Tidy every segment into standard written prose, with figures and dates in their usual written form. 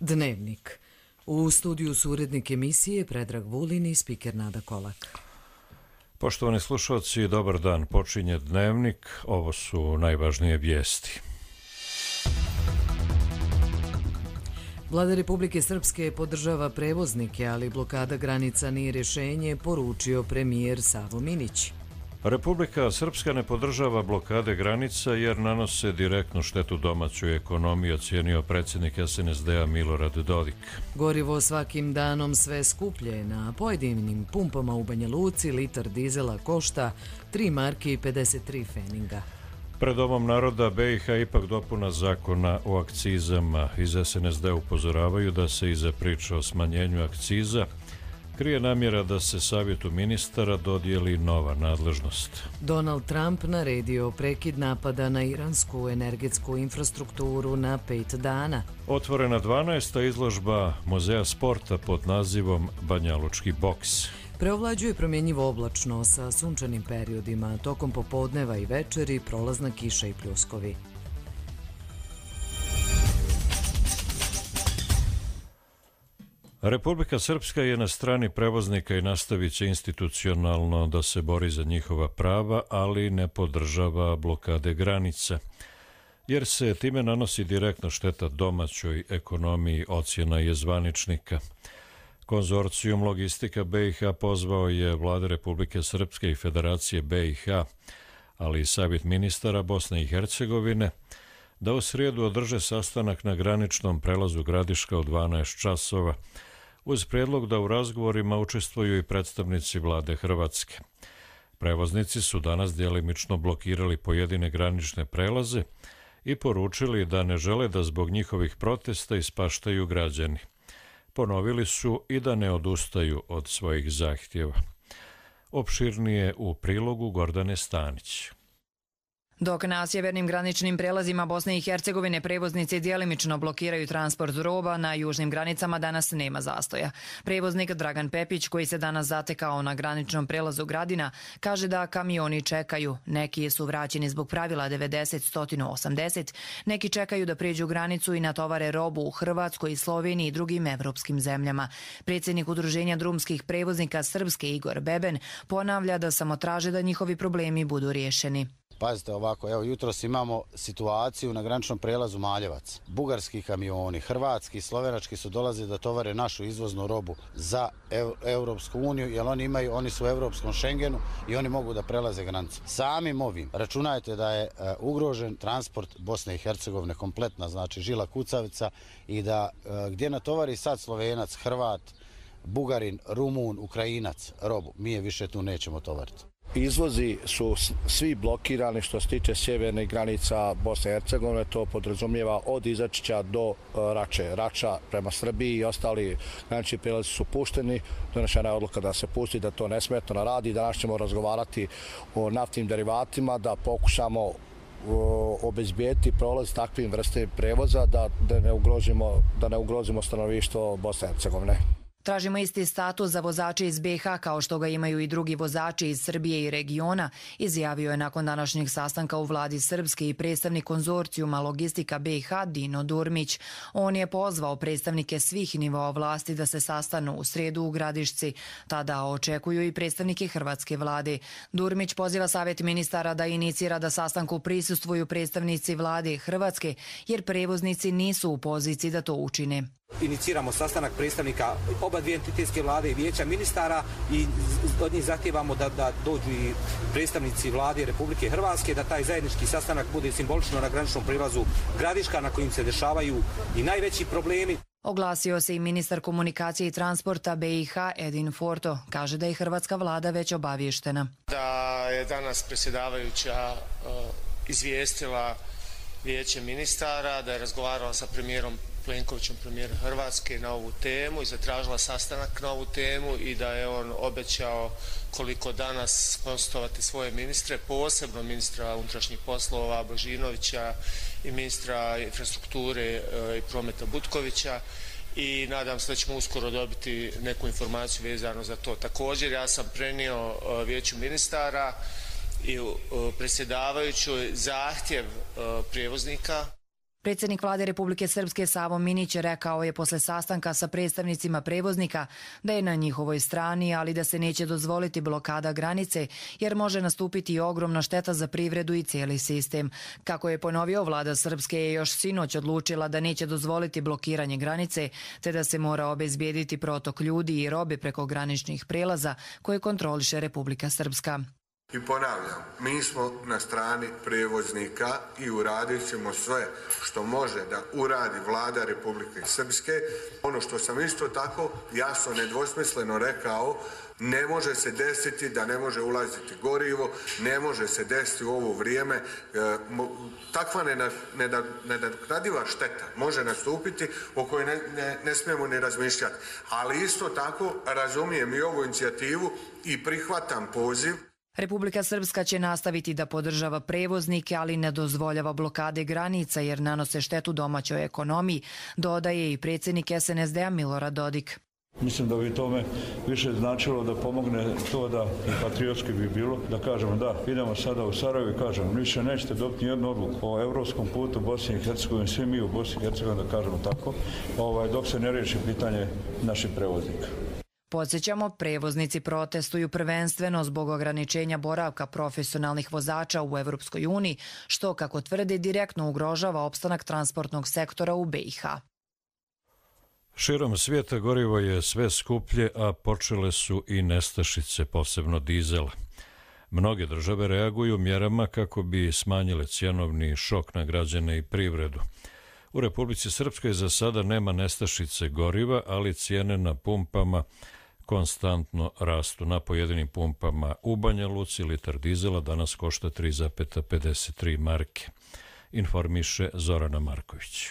Dnevnik. U studiju su urednik emisije Predrag Vulin i spiker Nada Kolak. Poštovani slušalci, dobar dan. Počinje Dnevnik. Ovo su najvažnije vijesti. Vlada Republike Srpske podržava prevoznike, ali blokada granica nije rješenje, poručio premijer Savo Minić. Republika Srpska ne podržava blokade granica jer nanose direktnu štetu domaćoj ekonomiji, ocijenio predsjednik SNSD-a Milorad Dodik. Gorivo svakim danom sve skuplje. Na pojedinim pumpama u Banja Luci litar dizela košta 3 marke i 53 feninga. Pred Domom naroda BiH ipak dopuna zakona o akcizama. Iz SNSD upozoravaju da se iza priče o smanjenju akciza krije namjera da se savjetu ministara dodijeli nova nadležnost. Donald Trump naredio prekid napada na iransku energetsku infrastrukturu na 5 dana. Otvorena 12. izložba Muzeja sporta pod nazivom Banjalučki boks. Preovlađuje promjenjivo oblačno sa sunčanim periodima, tokom popodneva i večeri prolazna kiša i pljuskovi. Republika Srpska je na strani prevoznika i nastavit će institucionalno da se bori za njihova prava, ali ne podržava blokade granica, jer se time nanosi direktna šteta domaćoj ekonomiji, ocjena je zvaničnika. Konzorcijum Logistika BiH pozvao je vlade Republike Srpske i Federacije BiH, ali i Savjet ministara Bosne i Hercegovine, da u srijedu održe sastanak na graničnom prelazu Gradiška u 12 časova, uz prijedlog da u razgovorima učestvuju i predstavnici vlade Hrvatske. Prevoznici su danas djelimično blokirali pojedine granične prelaze i poručili da ne žele da zbog njihovih protesta ispaštaju građani. Ponovili su i da ne odustaju od svojih zahtjeva. Opširnije u prilogu Gordane Stanić. Dok na sjevernim graničnim prelazima Bosne i Hercegovine prevoznici djelimično blokiraju transport roba, na južnim granicama danas nema zastoja. Prevoznik Dragan Pepić, koji se danas zatekao na graničnom prelazu Gradina, kaže da kamioni čekaju. Neki su vraćeni zbog pravila 90-180, neki čekaju da pređu granicu i natovare robu u Hrvatskoj, Sloveniji i drugim evropskim zemljama. Predsjednik Udruženja drumskih prevoznika Srpske Igor Beben ponavlja da samo traže da njihovi problemi budu riješeni. Pazite ovako, evo jutros imamo situaciju na graničnom prelazu Maljevac. Bugarski kamioni, hrvatski i slovenački su dolazili da tovare našu izvoznu robu za Europsku uniju, jer oni su u Europskom Schengenu i oni mogu da prelaze granicu. Samim ovim računajte da je ugrožen transport Bosne i Hercegovine kompletna, znači žila kucavica, i da gdje natovari sad Slovenac, Hrvat, Bugarin, Rumun, Ukrajinac robu, mi je više tu nećemo tovariti. Izvozi su svi blokirani što se tiče sjevernih granica Bosne i Hercegovine, to podrazumijeva od Izačića do Rače. Rača prema Srbiji i ostali granični prijelazi su pušteni, donešena je odluka da se pusti, da to nesmetno radi. Danas ćemo razgovarati o naftnim derivatima, da pokušamo obezbijeti prolaz takvim vrste prevoza, da ne ugrozimo stanovništvo Bosne i Hercegovine. Tražimo isti status za vozače iz BiH kao što ga imaju i drugi vozači iz Srbije i regiona, izjavio je nakon današnjeg sastanka u vladi Srpske i predstavnik konzorcijuma Logistika BiH Dino Durmić. On je pozvao predstavnike svih nivoa vlasti da se sastanu u srijedu u Gradišci. Tada očekuju i predstavnike hrvatske vlade. Durmić poziva Savjet ministara da inicira da sastanku prisustvuju predstavnici vlade Hrvatske, jer prevoznici nisu u poziciji da to učine. Iniciramo sastanak predstavnika oba dvije entitetske vlade i vijeća ministara i od njih zahtijevamo da dođu i predstavnici vlade Republike Hrvatske, da taj zajednički sastanak bude simbolično na graničnom prilazu Gradiška, na kojim se dešavaju i najveći problemi. Oglasio se i ministar komunikacije i transporta BiH Edin Forto. Kaže da je hrvatska vlada već obavještena. Da je danas predsjedavajuća izvijestila vijeće ministara, da je razgovarala sa premijerom Plenkovićem, premijer Hrvatske, na ovu temu i zatražila sastanak na ovu temu i da je on obećao koliko danas konsultovati svoje ministre, posebno ministra unutrašnjih poslova Božinovića i ministra infrastrukture i prometa Butkovića, i nadam se da ćemo uskoro dobiti neku informaciju vezano za to. Također ja sam prenio vijeću ministara i predsjedavajućoj zahtjev prijevoznika. Predsjednik vlade Republike Srpske Savo Minić rekao je posle sastanka sa predstavnicima prevoznika da je na njihovoj strani, ali da se neće dozvoliti blokada granice jer može nastupiti ogromna šteta za privredu i cijeli sistem. Kako je ponovio, vlada Srpske je još sinoć odlučila da neće dozvoliti blokiranje granice te da se mora obezbijediti protok ljudi i robe preko graničnih prelaza koje kontroliše Republika Srpska. I ponavljam, mi smo na strani prevoznika i uradit ćemo sve što može da uradi vlada Republike Srpske. Ono što sam isto tako jasno nedvosmisleno rekao, ne može se desiti da ne može ulaziti gorivo, ne može se desiti u ovo vrijeme. Takva nenadoknadiva šteta može nastupiti o kojoj ne smijemo ni razmišljati. Ali isto tako razumijem i ovu inicijativu i prihvatam poziv. Republika Srpska će nastaviti da podržava prevoznike, ali ne dozvoljava blokade granica jer nanose štetu domaćoj ekonomiji, dodaje i predsjednik SNSD-a Milorad Dodik. Mislim da bi tome više značilo da pomogne to da i patriotski bi bilo, da kažemo da idemo sada u Sarajevo i kažemo više nećete dobiti nijednu odluku o evropskom putu Bosni i Hercegovini, svi mi u Bosni i Hercegovini da kažemo tako, dok se ne riješi pitanje naših prevoznika. Podsjećamo, prevoznici protestuju prvenstveno zbog ograničenja boravka profesionalnih vozača u Evropskoj uniji, što, kako tvrde, direktno ugrožava opstanak transportnog sektora u BiH. Širom svijeta gorivo je sve skuplje, a počele su i nestašice, posebno dizela. Mnoge države reaguju mjerama kako bi smanjile cjenovni šok na građane i privredu. U Republici Srpskoj za sada nema nestašice goriva, ali cijene na pumpama konstantno rastu. Na pojedinim pumpama u Banja Luci litar dizela danas košta 3,53 marke, informiše Zorana Marković.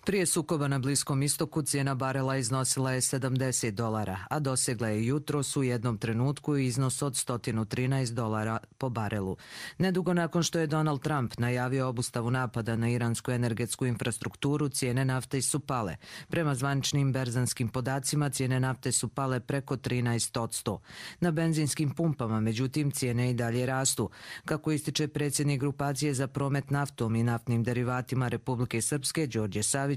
Prije sukoba na Bliskom istoku cijena barela iznosila je $70, a dosegla je jutros u jednom trenutku iznos od $113 po barelu. Nedugo nakon što je Donald Trump najavio obustavu napada na iransku energetsku infrastrukturu, cijene nafte su pale. Prema zvaničnim berzanskim podacima, cijene nafte su pale preko 13%. Na benzinskim pumpama, međutim, cijene i dalje rastu. Kako ističe predsjednik grupacije za promet naftom i naftnim derivatima Republike Srpske, Đorđe Savić,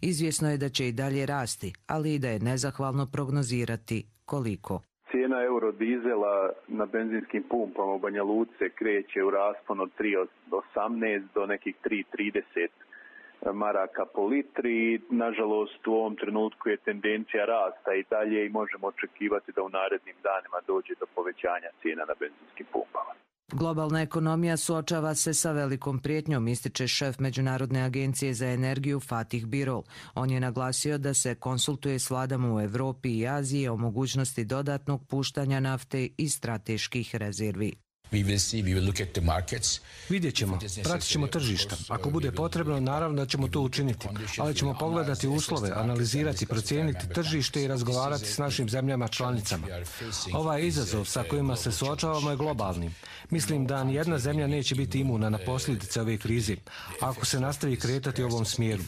izvjesno je da će i dalje rasti, ali i da je nezahvalno prognozirati koliko. Cijena eurodizela na benzinskim pumpama u Banja Luci se kreće u rasponu od 3,18 do nekih 3,30 maraka po litri. Nažalost, u ovom trenutku je tendencija rasta i dalje i možemo očekivati da u narednim danima dođe do povećanja cijena na benzinskim pumpama. Globalna ekonomija suočava se sa velikom prijetnjom, ističe šef Međunarodne agencije za energiju Fatih Birol. On je naglasio da se konsultuje s vladama u Evropi i Aziji o mogućnosti dodatnog puštanja nafte i strateških rezervi. Vidjet ćemo, pratit ćemo tržišta. Ako bude potrebno, naravno da ćemo to učiniti, ali ćemo pogledati uslove, analizirati, procijeniti tržište i razgovarati s našim zemljama članicama. Ovaj izazov sa kojima se suočavamo je globalni. Mislim da nijedna zemlja neće biti imuna na posljedice ove krize, ako se nastavi kretati u ovom smjeru.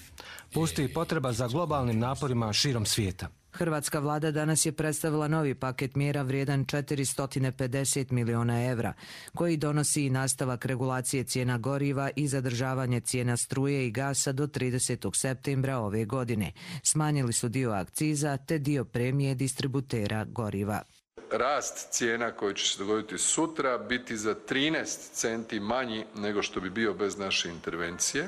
Postoji potreba za globalnim naporima širom svijeta. Hrvatska vlada danas je predstavila novi paket mjera vrijedan 450 miliona evra, koji donosi i nastavak regulacije cijena goriva i zadržavanje cijena struje i gasa do 30. septembra ove godine. Smanjili su dio akciza te dio premije distributera goriva. Rast cijena koji će se dogoditi sutra biti za 13 centi manji nego što bi bio bez naše intervencije.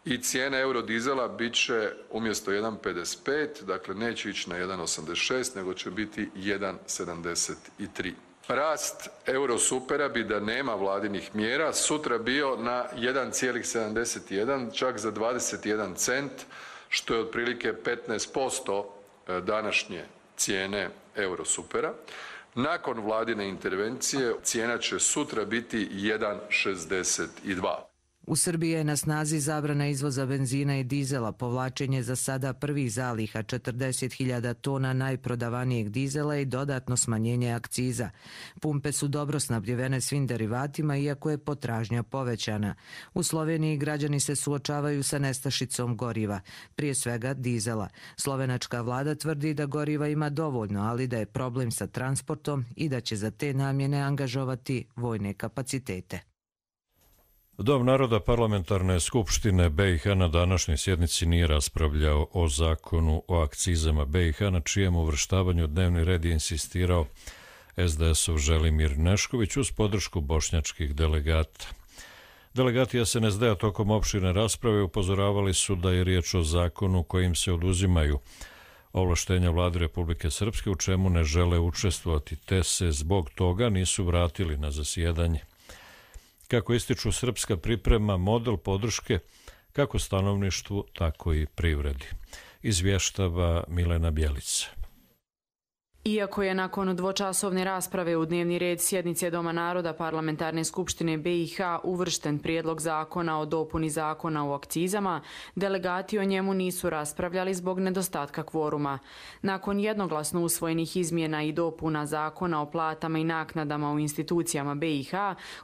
I cijena eurodizela bit će umjesto 1,55, dakle neće ići na 1,86, nego će biti 1,73. Rast eurosupera bi, da nema vladinih mjera, sutra bio na 1,71, čak za 21 cent, što je otprilike 15% današnje cijene eurosupera. Nakon vladine intervencije cijena će sutra biti 1,62. U Srbiji je na snazi zabrana izvoza benzina i dizela, povlačenje za sada prvih zaliha 40.000 tona najprodavanijeg dizela i dodatno smanjenje akciza. Pumpe su dobro snabdjevene svim derivatima, iako je potražnja povećana. U Sloveniji građani se suočavaju sa nestašicom goriva, prije svega dizela. Slovenačka vlada tvrdi da goriva ima dovoljno, ali da je problem sa transportom i da će za te namjene angažovati vojne kapacitete. Dom naroda Parlamentarne skupštine BiH na današnjoj sjednici nije raspravljao o zakonu o akcizama BiH, na čijem uvrštavanju u dnevni red je insistirao SDS-ov Želimir Nešković uz podršku bošnjačkih delegata. Delegati SNSD-a tokom opširne rasprave upozoravali su da je riječ o zakonu kojim se oduzimaju ovlaštenja vlade Republike Srpske, u čemu ne žele učestvovati, te se zbog toga nisu vratili na zasjedanje. Kako ističu, Srpska priprema model podrške kako stanovništvu, tako i privredi. Izvještava Milena Bjelica. Iako je nakon dvočasovne rasprave u dnevni red sjednice Doma naroda Parlamentarne skupštine BiH uvršten prijedlog zakona o dopuni zakona o akcizama, delegati o njemu nisu raspravljali zbog nedostatka kvoruma. Nakon jednoglasno usvojenih izmjena i dopuna zakona o platama i naknadama u institucijama BiH,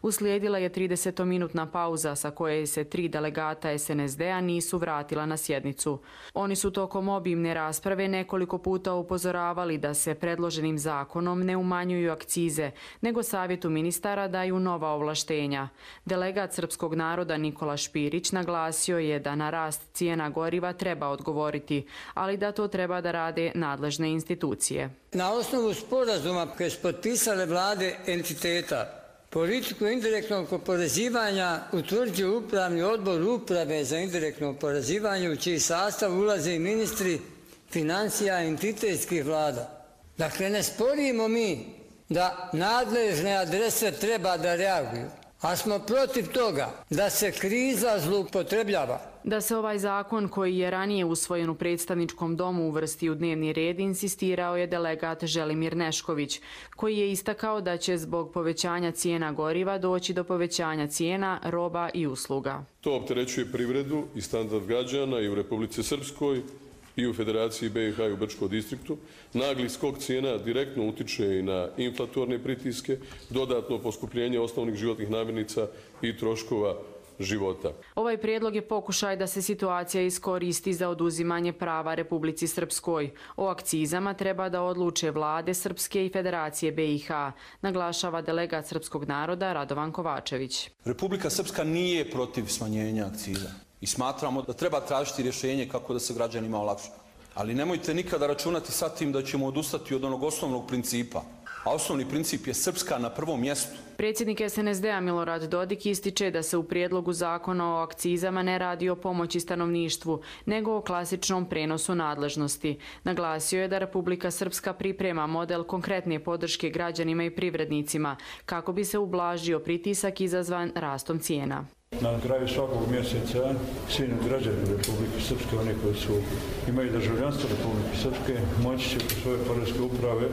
uslijedila je 30-minutna pauza sa koje se 3 delegata SNSD-a nisu vratila na sjednicu. Oni su tokom obimne rasprave nekoliko puta upozoravali da se predloženim zakonom ne umanjuju akcize, nego savjetu ministara daju nova ovlaštenja. Delegat srpskog naroda Nikola Špirić naglasio je da na rast cijena goriva treba odgovoriti, ali da to treba da rade nadležne institucije. Na osnovu sporazuma koje su potpisale vlade entiteta, politiku indirektnog oporezivanja utvrđuje upravni odbor uprave za indirektno oporezivanje, u čiji sastav ulaze i ministri financija entitetskih vlada. Dakle, ne sporimo mi da nadležne adrese treba da reaguju, a smo protiv toga da se kriza zloupotrebljava. Da se ovaj zakon koji je ranije usvojen u predstavničkom domu uvrsti u dnevni red, insistirao je delegat Želimir Nešković, koji je istakao da će zbog povećanja cijena goriva doći do povećanja cijena roba i usluga. To opterećuje privredu i standard građana i u Republici Srpskoj, i u Federaciji BiH i u Brčkom distriktu. Nagli skok cijena direktno utiče i na inflatorne pritiske, dodatno poskupljenje osnovnih životnih namirnica i troškova života. Ovaj prijedlog je pokušaj da se situacija iskoristi za oduzimanje prava Republici Srpskoj. O akcizama treba da odluče vlade Srpske i Federacije BiH, naglašava delegat srpskog naroda Radovan Kovačević. Republika Srpska nije protiv smanjenja akciza i smatramo da treba tražiti rješenje kako da se građanima olakša. Ali nemojte nikada računati sa tim da ćemo odustati od onog osnovnog principa. A osnovni princip je Srpska na prvom mjestu. Predsjednik SNSD-a Milorad Dodik ističe da se u prijedlogu zakona o akcizama ne radi o pomoći stanovništvu, nego o klasičnom prenosu nadležnosti. Naglasio je da Republika Srpska priprema model konkretne podrške građanima i privrednicima, kako bi se ublažio pritisak izazvan rastom cijena. Na kraju svakog mjeseca svi građani Republike Srpske, oni koji imaju državljanstvo Republike Srpske, moći će po svoje poreske uprave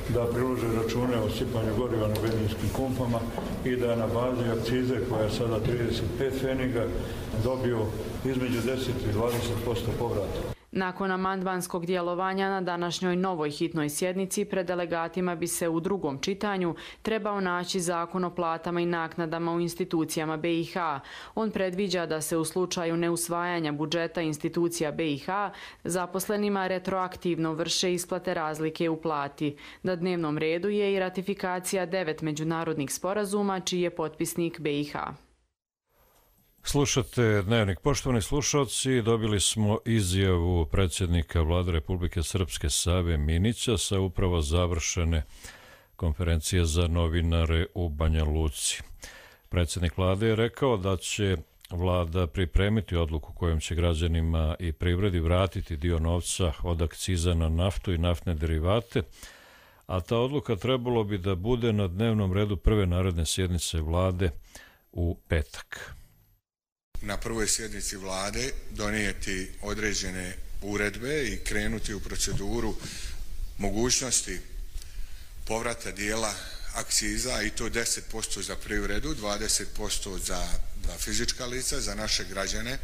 da prilože račune o sipanju goriva na benzinskim pumpama i da na bazi akcize koja je sada 35 pfeniga dobiju između 10 i 20% povrata. Nakon amandmanskog djelovanja na današnjoj novoj hitnoj sjednici pred delegatima bi se u drugom čitanju trebao naći zakon o platama i naknadama u institucijama BiH. On predviđa da se u slučaju neusvajanja budžeta institucija BiH zaposlenima retroaktivno vrše isplate razlike u plati. Na dnevnom redu je i ratifikacija 9 međunarodnih sporazuma čiji je potpisnik BiH. Slušate Dnevnik. Poštovani slušalci, dobili smo izjavu predsjednika vlade Republike Srpske Save Minića sa upravo završene konferencije za novinare u Banja Luci. Predsjednik vlade je rekao da će vlada pripremiti odluku kojom će građanima i privredi vratiti dio novca od akciza na naftu i naftne derivate, a ta odluka trebalo bi da bude na dnevnom redu prve naredne sjednice vlade u petak. Na prvoj sjednici vlade donijeti određene uredbe i krenuti u proceduru mogućnosti povrata dijela akciza i to 10% za privredu, 20% za fizička lica, za naše građane,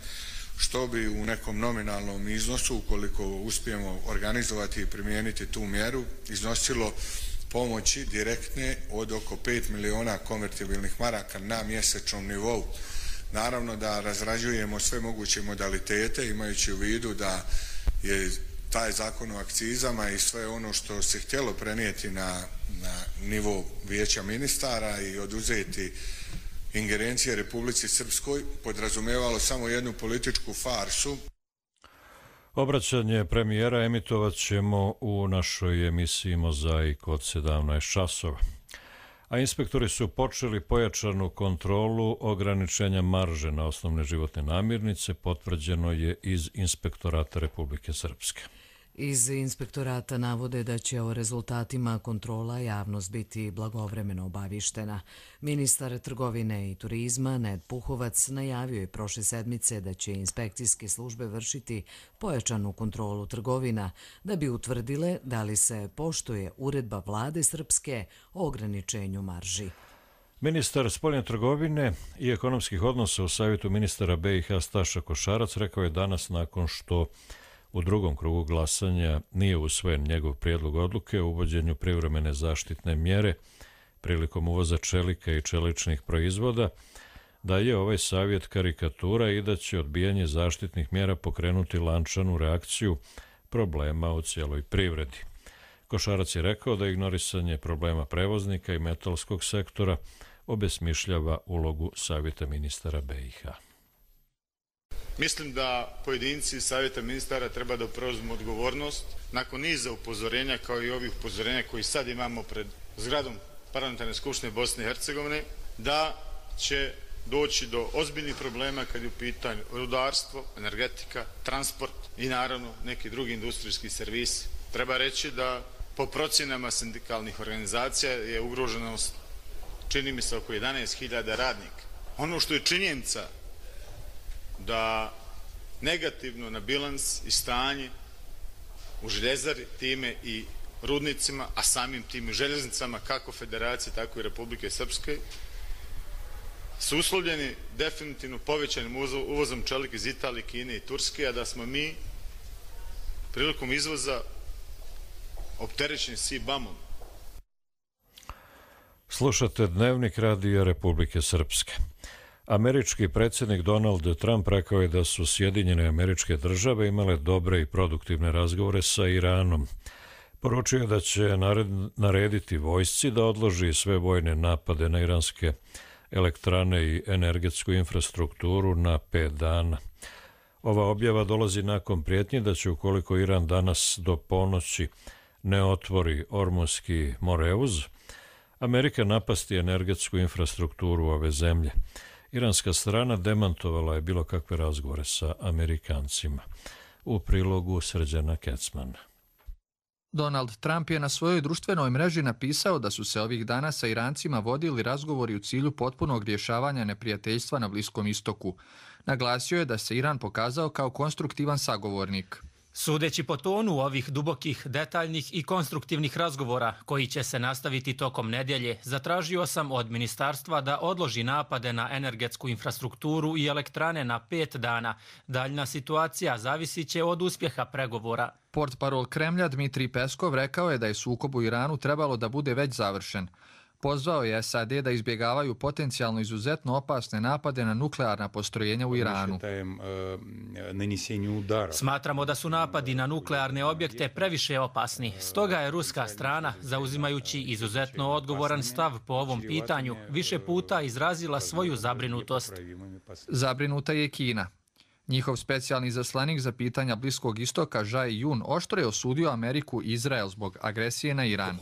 što bi u nekom nominalnom iznosu, ukoliko uspijemo organizovati i primijeniti tu mjeru, iznosilo pomoći direktne od oko 5 miliona konvertibilnih maraka na mjesečnom nivou. Naravno da razrađujemo sve moguće modalitete imajući u vidu da je taj zakon o akcizama i sve ono što se htjelo prenijeti na nivo vijeća ministara i oduzeti ingerencije Republici Srpskoj podrazumijevalo samo jednu političku farsu. Obraćanje premijera emitovat ćemo u našoj emisiji Mozaik od 17 časova. A inspektori su počeli pojačanu kontrolu ograničenja marže na osnovne životne namirnice, potvrđeno je iz Inspektorata Republike Srpske. Iz inspektorata navode da će o rezultatima kontrola javnost biti blagovremeno obavištena. Ministar trgovine i turizma Ned Puhovac najavio je prošle sedmice da će inspekcijske službe vršiti pojačanu kontrolu trgovina da bi utvrdile da li se poštuje uredba vlade Srpske o ograničenju marži. Ministar spoljne trgovine i ekonomskih odnosa u Savjetu ministara BiH Staša Košarac rekao je danas nakon što u drugom krugu glasanja nije usvojen njegov prijedlog odluke o uvođenju privremene zaštitne mjere prilikom uvoza čelika i čeličnih proizvoda, da je ovaj savjet karikatura i da će odbijanje zaštitnih mjera pokrenuti lančanu reakciju problema u cijeloj privredi. Košarac je rekao da ignorisanje problema prevoznika i metalskog sektora obesmišljava ulogu Savjeta ministara BiH. Mislim da pojedinci iz Savjeta ministara treba da preuzmu odgovornost nakon niza upozorenja, kao i ovih upozorenja koji sad imamo pred zgradom Parlamentarne skupštine Bosne i Hercegovine, da će doći do ozbiljnih problema kad je u pitanju rudarstvo, energetika, transport i naravno neki drugi industrijski servisi. Treba reći da po procjenama sindikalnih organizacija je ugroženost, čini mi se, oko 11.000 radnika. Ono što je činjenica da negativno na bilans i stanje u željezari, time i rudnicima, a samim tim i željeznicama kako Federacije, tako i Republike Srpske, su uslovljeni definitivno povećanim uvozom čelika iz Italije, Kine i Turske, a da smo mi prilikom izvoza opterećeni CBAM-om. Slušate Dnevnik radija Republike Srpske. Američki predsjednik Donald Trump rekao je da su Sjedinjene Američke Države imale dobre i produktivne razgovore sa Iranom. Poručio je da će narediti vojsci da odloži sve vojne napade na iranske elektrane i energetsku infrastrukturu na 5 dana. Ova objava dolazi nakon prijetnje da će, ukoliko Iran danas do ponoći ne otvori Ormuzski moreuz, Amerika napasti energetsku infrastrukturu ove zemlje. Iranska strana demantovala je bilo kakve razgovore sa Amerikancima. U prilogu Srđana Kecmana. Donald Trump je na svojoj društvenoj mreži napisao da su se ovih dana sa Irancima vodili razgovori u cilju potpunog rješavanja neprijateljstva na Bliskom istoku. Naglasio je da se Iran pokazao kao konstruktivan sagovornik. Sudeći po tonu ovih dubokih, detaljnih i konstruktivnih razgovora, koji će se nastaviti tokom nedjelje, zatražio sam od ministarstva da odloži napade na energetsku infrastrukturu i elektrane na 5 dana. Daljna situacija zavisit će od uspjeha pregovora. Portparol Kremlja Dmitrij Peskov rekao je da je sukob u Iranu trebalo da bude već završen. Pozvao je SAD da izbjegavaju potencijalno izuzetno opasne napade na nuklearna postrojenja u Iranu. Smatramo da su napadi na nuklearne objekte previše opasni. Stoga je ruska strana, zauzimajući izuzetno odgovoran stav po ovom pitanju, više puta izrazila svoju zabrinutost. Zabrinuta je Kina. Njihov specijalni izaslanik za pitanja Bliskog istoka Jai Jun oštro je osudio Ameriku i Izrael zbog agresije na Iran.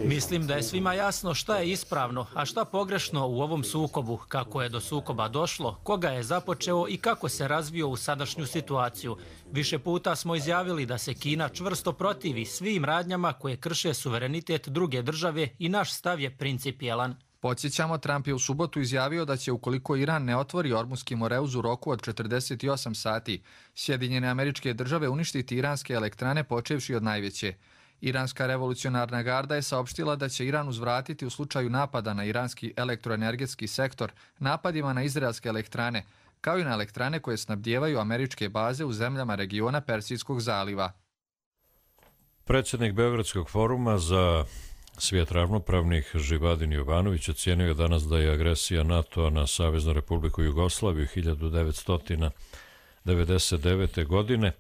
Mislim da je svima jasno šta je ispravno, a šta pogrešno u ovom sukobu, kako je do sukoba došlo, koga je započeo i kako se razvio u sadašnju situaciju. Više puta smo izjavili da se Kina čvrsto protivi svim radnjama koje krše suverenitet druge države i naš stav je principijelan. Podsjećamo, Trump je u subotu izjavio da će, ukoliko Iran ne otvori Ormuzski moreuz u roku od 48 sati, Sjedinjene Američke Države uništiti iranske elektrane počevši od najveće. Iranska revolucionarna garda je saopštila da će Iran uzvratiti u slučaju napada na iranski elektroenergetski sektor napadima na izraelske elektrane, kao i na elektrane koje snabdijevaju američke baze u zemljama regiona Persijskog zaliva. Predsjednik Beogradskog foruma za svijet ravnopravnih Živadin Jovanović ocenio je danas da je agresija NATO-a na Saveznu Republiku Jugoslaviju 1999. godine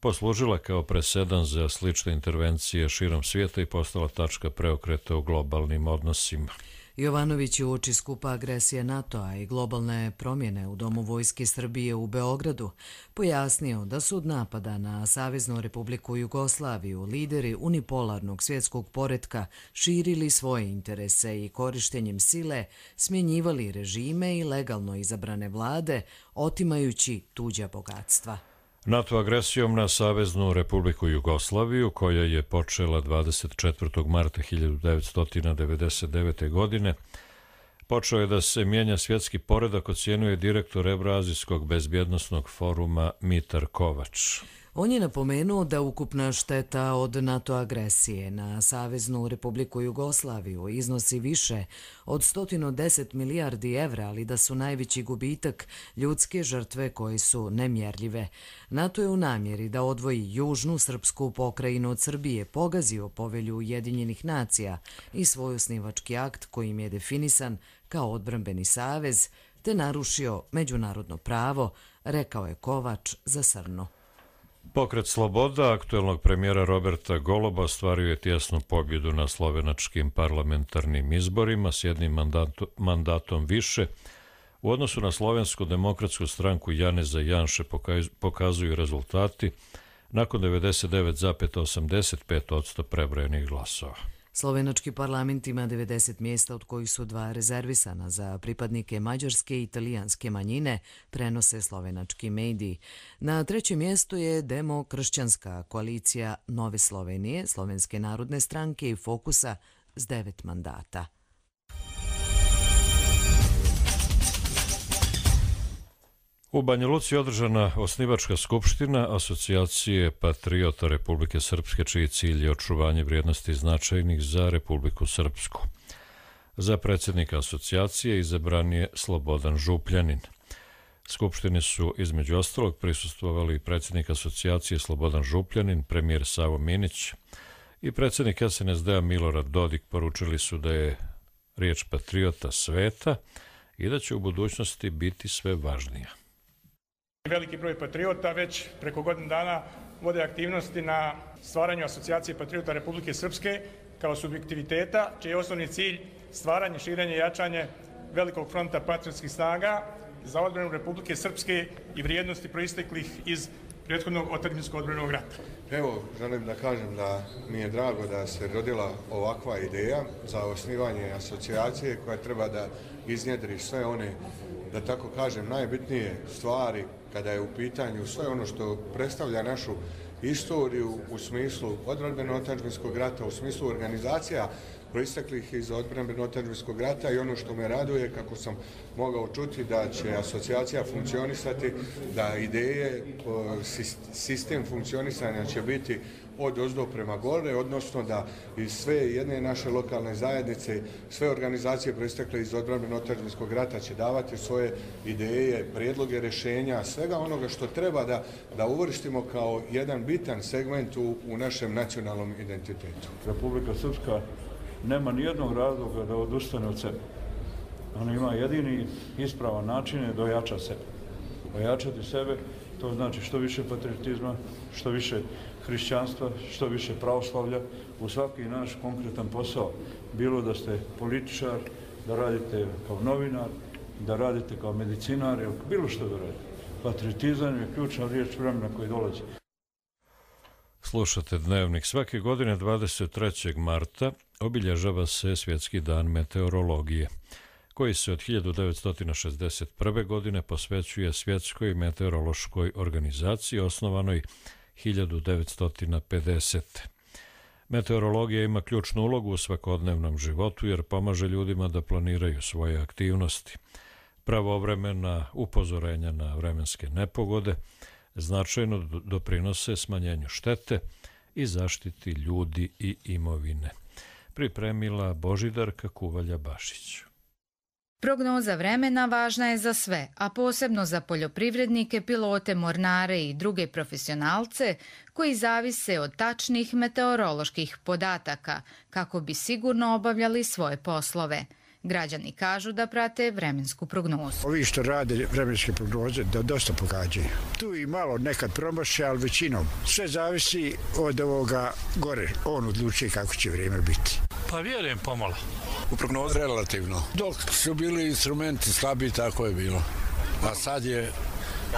poslužila kao presedan za slične intervencije širom svijeta i postala tačka preokreta u globalnim odnosima. Jovanović je uoči skupa agresije NATO-a i globalne promjene u Domu vojske Srbije u Beogradu pojasnio da su od napada na Saveznu Republiku Jugoslaviju lideri unipolarnog svjetskog poretka širili svoje interese i korištenjem sile smjenjivali režime i legalno izabrane vlade, otimajući tuđa bogatstva. NATO agresijom na Saveznu Republiku Jugoslaviju, koja je počela 24. marta 1999. godine, počeo je da se mijenja svjetski poredak, ocjenjuje direktor Evroazijskog bezbjednosnog foruma Mitar Kovač. On je napomenuo da ukupna šteta od NATO agresije na Saveznu Republiku Jugoslaviju iznosi više od 110 milijardi evra, ali da su najveći gubitak ljudske žrtve koje su nemjerljive. NATO je u namjeri da odvoji južnu srpsku pokrajinu od Srbije pogazio Povelju Ujedinjenih nacija i svoj osnivački akt kojim je definisan kao odbrambeni savez, te narušio međunarodno pravo, rekao je Kovač za Srnu. Pokret Sloboda aktuelnog premijera Roberta Goloba ostvario je tjesnu pobjedu na slovenačkim parlamentarnim izborima s jednim mandatom više. U odnosu na Slovensku demokratsku stranku Janeza Janše pokazuju rezultati nakon 99,85% prebrojenih glasova. Slovenački parlament ima 90 mjesta, od kojih su 2 rezervisana za pripadnike mađarske i italijanske manjine, prenose slovenački mediji. Na 3. mjestu je demokršćanska koalicija Nove Slovenije, Slovenske narodne stranke i Fokusa s 9 mandata. U Banja Luci je održana osnivačka skupština Asocijacije patriota Republike Srpske, čiji cilj je očuvanje vrijednosti značajnih za Republiku Srpsku. Za predsjednika asocijacije izabran je Slobodan Župljanin. Skupštini su između ostalog prisustvovali predsjednik asocijacije Slobodan Župljanin, premijer Savo Minić i predsjednik SNSD-a Milorad Dodik. Poručili su da je riječ patriota sveta i da će u budućnosti biti sve važnija. Veliki broj patriota već preko godinu dana vode aktivnosti na stvaranju Asocijacije patriota Republike Srpske kao subjektiviteta, čiji je osnovni cilj stvaranje, širenje i jačanje velikog fronta patriotskih snaga za odbranu Republike Srpske i vrijednosti proisteklih iz prethodnog otadžbinskog odbrambenog rata. Evo, želim da kažem da mi je drago da se rodila ovakva ideja za osnivanje asocijacije koja treba da iznjedri sve one, da tako kažem, najbitnije stvari kada je u pitanju sve ono što predstavlja našu istoriju u smislu odbrambeno-otadžbinskog rata, u smislu organizacija proisteklih iz odbrambeno-otadžbinskog rata, i ono što me raduje, kako sam mogao čuti, da će asocijacija funkcionisati, da ideje, sistem funkcionisanja će biti od ozdo prema gore, odnosno da iz sve jedne naše lokalne zajednice, sve organizacije proistekle iz odbrambeno-otadžbinskog rata će davati svoje ideje, prijedloge rješenja, svega onoga što treba da uvrstimo kao jedan bitan segment u našem nacionalnom identitetu. Republika Srpska nema nijednog razloga da odustane od sebe. Ona ima jedini ispravan način je da ojača sebe. Ojačati sebe, to znači što više patriotizma, što više hrišćanstva, što više pravoslavlja u svaki naš konkretan posao. Bilo da ste političar, da radite kao novinar, da radite kao medicinar, bilo što da radite. Patriotizam je ključna riječ vremena koji dolazi. Slušate Dnevnik. Svake godine 23. marta obilježava se Svjetski dan meteorologije, koji se od 1961. godine posvećuje Svjetskoj meteorološkoj organizaciji osnovanoj 1950. Meteorologija ima ključnu ulogu u svakodnevnom životu jer pomaže ljudima da planiraju svoje aktivnosti. Pravovremena upozorenja na vremenske nepogode značajno doprinose smanjenju štete i zaštiti ljudi i imovine. Pripremila Božidarka Kuvalja-Bašić. Prognoza vremena važna je za sve, a posebno za poljoprivrednike, pilote, mornare i druge profesionalce koji zavise od tačnih meteoroloških podataka kako bi sigurno obavljali svoje poslove. Građani kažu da prate vremensku prognozu. Ovi što rade vremenske prognoze da dosta pogađaju. Tu i malo nekad promaše, ali većinom. Sve zavisi od ovoga gore. On odlučuje kako će vrijeme biti. Pa vjerujem pomalo. U prognozu? Relativno. Dok su bili instrumenti slabi, tako je bilo. A sad je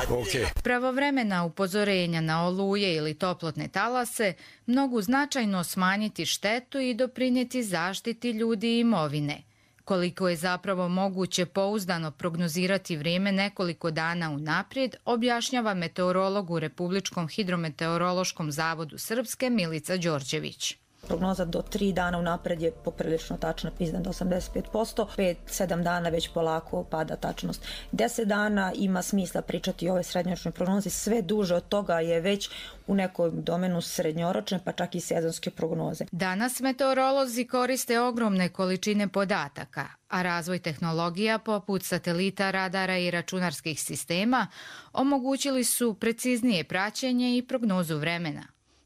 ok. Pravovremena upozorenja na oluje ili toplotne talase mogu značajno smanjiti štetu i doprinijeti zaštiti ljudi i imovine. Koliko je zapravo moguće pouzdano prognozirati vrijeme nekoliko dana unaprijed, objašnjava meteorolog u Republičkom hidrometeorološkom zavodu Srpske Milica Đorđević. Prognoza do 3 dana unapred je poprilično tačna, iznad 85%, 5-7 dana već polako pada tačnost. 10 dana ima smisla pričati o ovoj srednjoročnoj prognozi, sve duže od toga je već u nekom domenu srednjoročne pa čak i sezonske prognoze. Danas meteorolozi koriste ogromne količine podataka, a razvoj tehnologija poput satelita, radara i računarskih sistema omogućili su preciznije praćenje i prognozu vremena.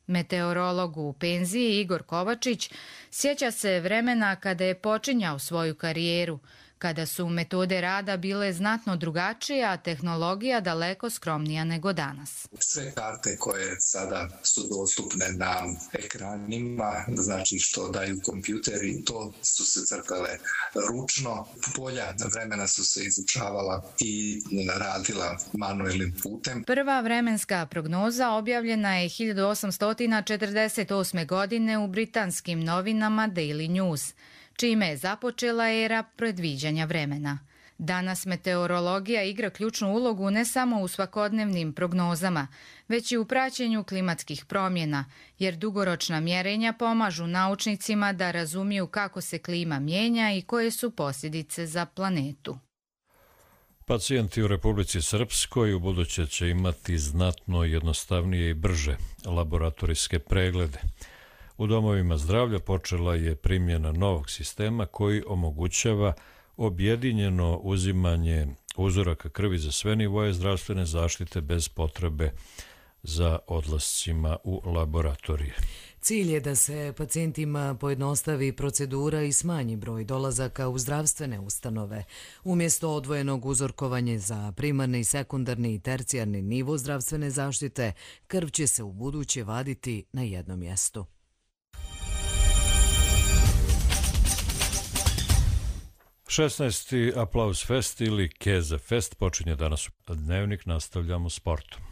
Meteorolog u penziji Igor Kovačić sjeća se vremena kada je počinjao svoju karijeru, kada su metode rada bile znatno drugačije, a tehnologija daleko skromnija nego danas. Sve karte koje sada su dostupne na ekranima, znači što daju kompjuteri, to su se crtale ručno. Polja vremena su se izučavala i radila manuelnim putem. Prva vremenska prognoza objavljena je 1848. godine u britanskim novinama Daily News, čime je započela era predviđanja vremena. Danas meteorologija igra ključnu ulogu ne samo u svakodnevnim prognozama, već i u praćenju klimatskih promjena, jer dugoročna mjerenja pomažu naučnicima da razumiju kako se klima mijenja i koje su posljedice za planetu. Pacijenti u Republici Srpskoj ubuduće će imati znatno jednostavnije i brže laboratorijske preglede. U domovima zdravlja počela je primjena novog sistema koji omogućava objedinjeno uzimanje uzoraka krvi za sve nivoje zdravstvene zaštite bez potrebe za odlascima u laboratorije. Cilj je da se pacijentima pojednostavi procedura i smanji broj dolazaka u zdravstvene ustanove. Umjesto odvojenog uzorkovanja za primarni, sekundarni i tercijarni nivo zdravstvene zaštite, krv će se ubuduće vaditi na jednom mjestu. 16. Aplauz Fest ili Keze Fest počinje danas. Dnevnik nastavljamo sportom.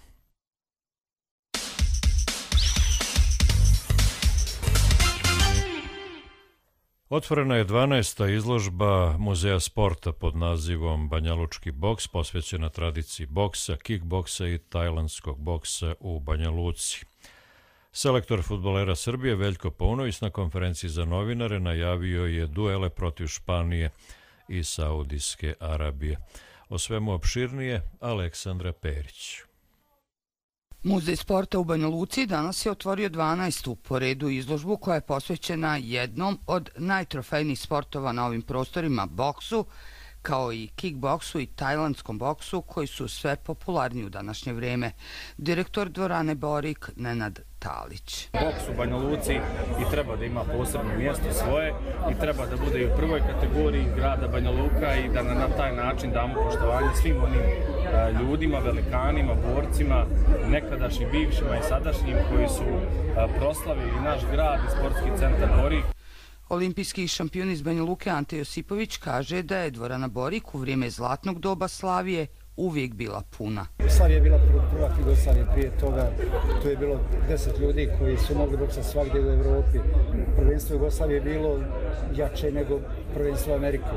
Otvorena je 12. izložba Muzeja sporta pod nazivom Banjalučki boks, posvećena tradiciji boksa, kickboksa i tajlandskog boksa u Banja Luci. Selektor fudbalera Srbije Veljko Paunović na konferenciji za novinare najavio je duele protiv Španije i Saudijske Arabije. O svemu opširnije Aleksandra Perić. Muzej sporta u Banja Luci danas je otvorio 12. po redu izložbu koja je posvećena jednom od najtrofejnijih sportova na ovim prostorima, boksu, kao i kickboksu i tajlandskom boksu, koji su sve popularniji u današnje vrijeme. Direktor dvorane Borik Nenad Talić. Boks u Banja Luci i treba da ima posebno mjesto svoje i treba da bude i u prvoj kategoriji grada Banja Luka i da na taj način damo poštovanje svim onim ljudima, velikanima, borcima, nekadašnjim, bivšima i sadašnjim koji su proslavili naš grad i sportski centar Borik. Olimpijski šampion iz Banja Luke Ante Josipović kaže da je dvorana Borik u vrijeme zlatnog doba Slavije uvijek bila puna. Slavija je bila prvak Jugoslavije, prije toga tu je bilo 10 ljudi koji su mogli boksati svagdje u Evropi. Prvenstvo Jugoslavije je bilo jače nego prvenstvo Amerike.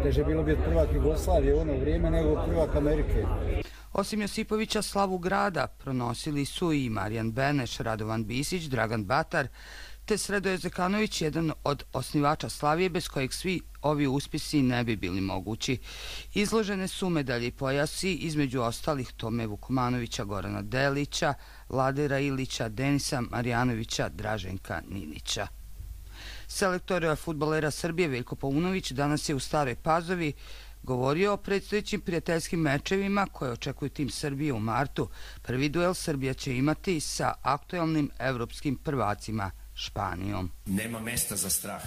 Teže je bilo biti prvak Jugoslavije u ono vrijeme nego prvak Amerike. Osim Josipovića, slavu grada pronosili su i Marijan Beneš, Radovan Bisić, Dragan Batar, te Sredoje Zekanović, jedan od osnivača Slavije, bez kojeg svi ovi uspjesi ne bi bili mogući. Izložene su medalje i pojasi, između ostalih Tome Vukomanovića, Gorana Delića, Vladera Ilića, Denisa Marjanovića, Draženka Ninića. Selektor fudbalera Srbije Veljko Paunović danas je u Staroj Pazovi govorio o predstojećim prijateljskim mečevima koje očekuju tim Srbije u martu. Prvi duel Srbija će imati sa aktuelnim evropskim prvacima Španijom. Nema mjesta za strah,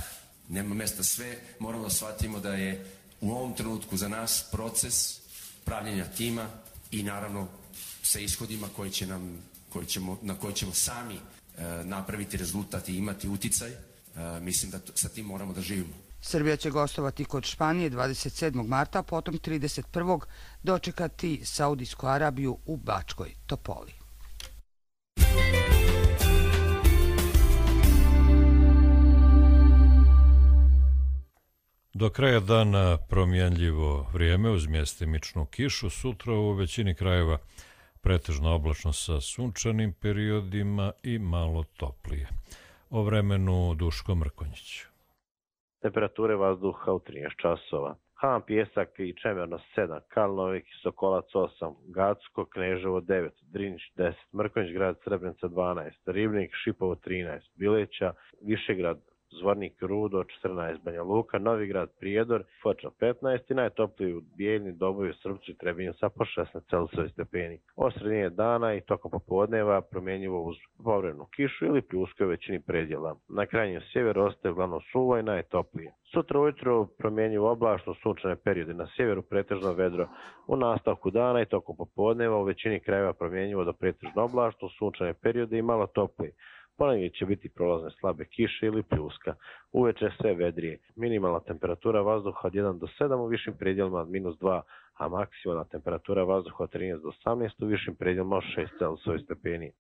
nema mjesta, sve moramo shvatimo da je u ovom trenutku za nas proces pravljenja tima i naravno sa ishodima na koje ćemo sami napraviti rezultat i imati uticaj. mislim da sa tim moramo da živimo. Srbija će gostovati kod Španije 27. marta, potom 31. dočekati Saudijsku Arabiju u Bačkoj Topoli. Do kraja dana promjenljivo vrijeme uz mjestimičnu kišu, sutra u većini krajeva pretežno oblačno sa sunčanim periodima i malo toplije. O vremenu Duško Mrkonjić. Temperature vazduha u 13 časova. Han, Pijesak i Čemerno 7, Kalnovik i Sokolac 8, Gacko, Kneževo 9, Drinić 10, Mrkonjić grad Srebrenica 12, Ribnik, Šipovo 13, Bileća, Višegrad, Zvornik, Rudo 14, Banja Luka, Novigrad, Prijedor, Foča 15 i najtopliji u Bijeljni, Doboju, Srpcu i Trebinju sa po 16 Celzijusovih stepeni. Od sredine dana i tokom popodneva promjenjivo uz povremenu kišu ili pljusku u većini predjela. Na krajnjem sjeveru ostaje uglavnom suvo i najtoplije. Sutra ujutro promjenjivo oblačno sunčane periode, na sjeveru pretežno vedro. U nastavku dana i tokom popodneva u većini krajeva promjenjivo do pretežno oblačno sunčane periode i malo toplije. Ponegdje će biti prolazne slabe kiše ili pljuska. Uveče sve vedrije. Minimalna temperatura vazduha od 1 do 7 u višim predjelima od -2, a maksimalna temperatura vazduha od 13 do 18 u višim predjelima od 6 Celzijusovih stepeni.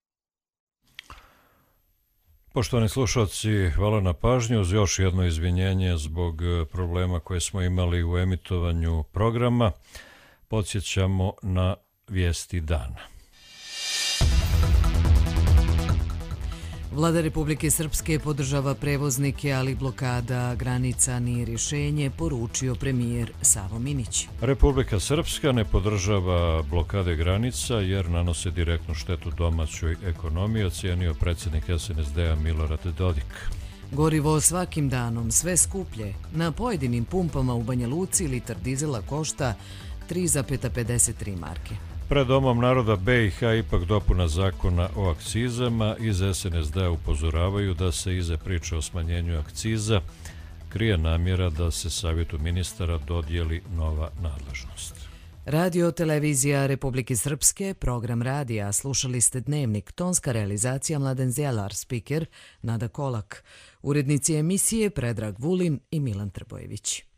Poštovani slušalci, hvala na pažnju. Uz još jedno izvinjenje zbog problema koje smo imali u emitovanju programa. Podsjećamo na vijesti dana. Vlada Republike Srpske podržava prevoznike, ali blokada granica nije rješenje, poručio premijer Savo Minić. Republika Srpska ne podržava blokade granica jer nanose direktnu štetu domaćoj ekonomiji, ocijenio predsjednik SNSD-a Milorad Dodik. Gorivo svakim danom sve skuplje. Na pojedinim pumpama u Banja Luci litar dizela košta 3,53 marke. Pred Domom naroda BiH ipak dopuna zakona o akcizama. Iz SNSD upozoravaju da se iza priče o smanjenju akciza krije namjera da se Savjetu ministara dodijeli nova nadležnost. Radio Televizija Republike Srpske, program radija, slušali ste Dnevnik, tonska realizacija Mladen Zjelar, spiker Nada Kolak, urednici emisije Predrag Vulin i Milan Trbojević.